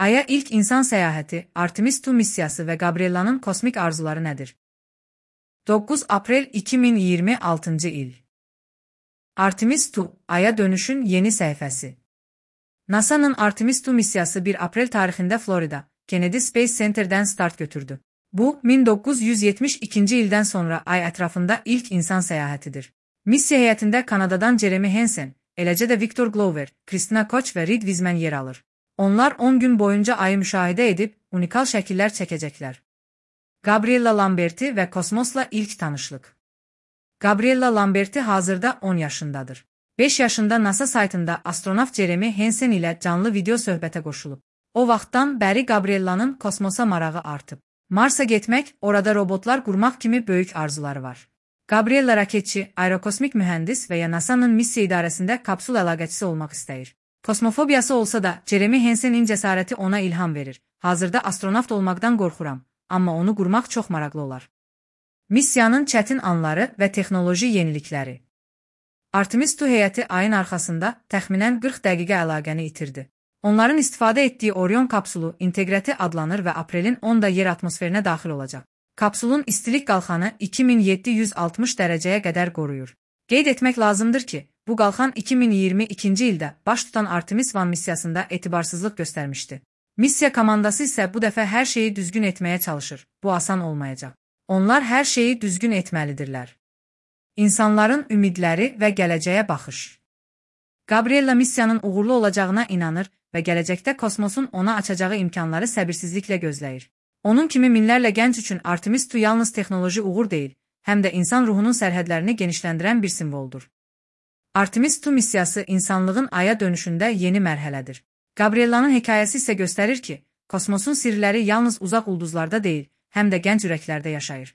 Ay'a ilk insan səyahəti, Artemis II missiyası və Gabriella'nın kosmik arzuları nədir? 9 aprel 2026 il. Artemis II, Ay'a dönüşün yeni səhifəsi. NASA'nın Artemis II missiyası 1 aprel tarixində Florida, Kennedy Space Center'dən start götürdü. Bu, 1972 ildən sonra Ay ətrafında ilk insan səyahətidir. Missiya heyətində Kanadadan Jeremy Hansen, eləcə də Victor Glover, Christina Koch və Reed Wiseman yer alır. Onlar 10 gün boyunca Ayı müşahidə edib, unikal şəkillər çəkəcəklər. Gabriella Lamberti və kosmosla ilk tanışlıq. Gabriella Lamberti hazırda 10 yaşındadır. 5 yaşında NASA saytında astronavt Jeremy Hansen ilə canlı video söhbətə qoşulub. O vaxtdan bəri Gabriella'nın kosmosa marağı artıb. Marsa getmək, orada robotlar qurmaq kimi böyük arzuları var. Gabriella raketçi, aerokosmik mühəndis və ya NASA'nın missiya idarəsində kapsul əlaqəçisi olmaq istəyir. Kosmofobiyası olsa da Jeremy Hansen'in cəsarəti ona ilham verir. Hazırda astronavt olmaqdan qorxuram, amma onu qurmaq çox maraqlı olar. Missiyanın çətin anları və texnoloji yenilikləri. Artemis II heyəti Ayın arxasında təxminən 40 dəqiqə əlaqəni itirdi. Onların istifadə etdiyi Orion kapsulu inteqrəti adlanır və aprelin 10-da yer atmosferinə daxil olacaq. Kapsulun istilik qalxanı 2760 dərəcəyə qədər qoruyur. Qeyd etmək lazımdır ki, bu qalxan 2022-ci ildə baş tutan Artemis I missiyasında etibarsızlıq göstərmişdi. Missiya komandası isə bu dəfə hər şeyi düzgün etməyə çalışır. Bu asan olmayacaq. Onlar hər şeyi düzgün etməlidirlər. İnsanların ümidləri və gələcəyə baxış. Gabriella missiyanın uğurlu olacağına inanır və gələcəkdə kosmosun ona açacağı imkanları səbirsizliklə gözləyir. Onun kimi minlərlə gənc üçün Artemis II yalnız texnoloji uğur deyil, həm də insan ruhunun sərhədlərini genişləndirən bir simvoldur. Artemis II missiyası insanlığın Ay'a dönüşündə yeni mərhələdir. Gabriella'nın hekayəsi isə göstərir ki, kosmosun sirləri yalnız uzaq ulduzlarda deyil, həm də gənc ürəklərdə yaşayır.